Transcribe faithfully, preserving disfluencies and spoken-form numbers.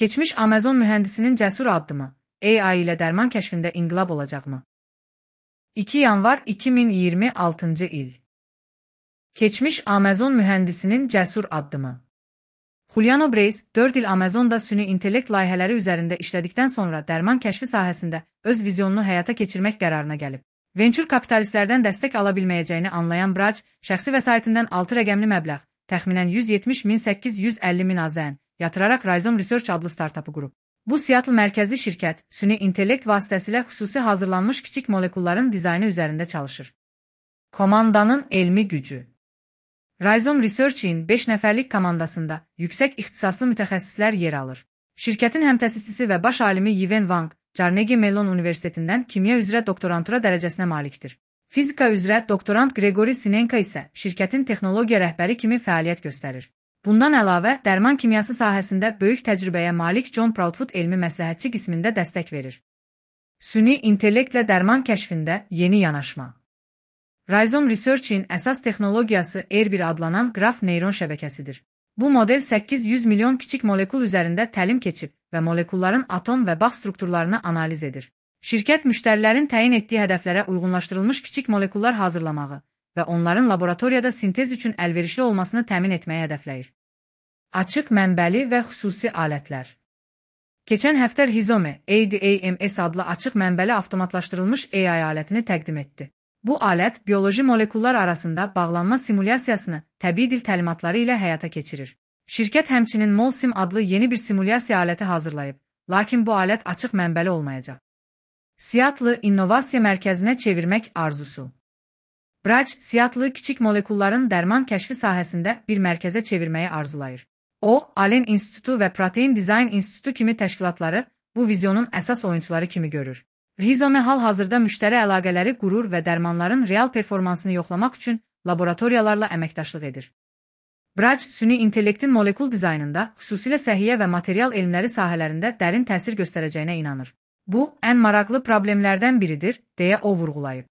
Keçmiş Amazon mühəndisinin cəsur addımı, A I ilə dərman kəşfində inqilab olacaqmı? iki yanvar iki min iyirmi altıncı il. Keçmiş Amazon mühəndisinin cəsur addımı. Juliano Breis, dörd il Amazonda süni intellekt layihələri üzərində işlədikdən sonra dərman kəşfi sahəsində öz vizyonunu həyata keçirmək qərarına gəlib. Venture kapitalistlərdən dəstək ala bilməyəcəyini anlayan Braj, şəxsi vəsaitindən altı rəqəmli məbləğ, təxminən yüz yetmiş min səkkiz yüz əlli min AZN, yatıraraq Rhizome Research adlı startapı qurub. Bu Seattle mərkəzli şirkət, süni intellekt vasitəsilə xüsusi hazırlanmış kiçik molekulların dizaynı üzərində çalışır. Komandanın elmi gücü. Rhizome Research'in beş nəfərlik komandasında yüksək ixtisaslı mütəxəssislər yer alır. Şirkətin həmtəsisisi və baş alimi Yiwen Wang, Carnegie Mellon Universitetindən kimya üzrə doktorantura dərəcəsinə malikdir. Fizika üzrə doktorant Gregory Sinenko isə şirkətin texnologiya rəhbəri kimi fəaliyyət göstərir. Bundan əlavə, dərman kimyası sahəsində böyük təcrübəyə malik John Proudfoot elmi məsləhətçi qismində dəstək verir. Süni intellektlə dərman kəşfində yeni yanaşma. Rhizome Research'in əsas texnologiyası R bir adlanan qraf neyron şəbəkəsidir. Bu model səkkiz yüz milyon kiçik molekul üzərində təlim keçib və molekulların atom və bağ strukturlarını analiz edir. Şirkət müştərilərin təyin etdiyi hədəflərə uyğunlaşdırılmış kiçik molekullar hazırlamağı və onların laboratoriyada sintez üçün əlverişli olmasını təmin etməyi hədəfləyir. Açıq mənbəli və xüsusi alətlər. Keçən həftə Rhizome A D A M S adlı açıq mənbəli avtomatlaşdırılmış A I alətini təqdim etdi. Bu alət bioloji molekullar arasında bağlanma simulyasiyasını təbii dil təlimatları ilə həyata keçirir. Şirkət həmçinin MolSim adlı yeni bir simulyasiya aləti hazırlayıb, lakin bu alət açıq mənbəli olmayacaq. Seattle İnnovasiya Mərkəzinə çevirmək arzusu. Braj, Seattle kiçik molekulların dərman kəşfi sahəsində bir mərkəzə çevirməyi arzulayır. O, Allen İnstitutu və Protein Design İnstitutu kimi təşkilatları bu vizyonun əsas oyunçuları kimi görür. Rhizome hal-hazırda müştəri əlaqələri qurur və dərmanların real performansını yoxlamaq üçün laboratoriyalarla əməkdaşlıq edir. Braj, süni intellektin molekul dizaynında, xüsusilə səhiyyə və material elmləri sahələrində dərin təsir göstərəcəyinə inanır. Bu, ən maraqlı problemlərdən biridir, deyə o vurğulayıb.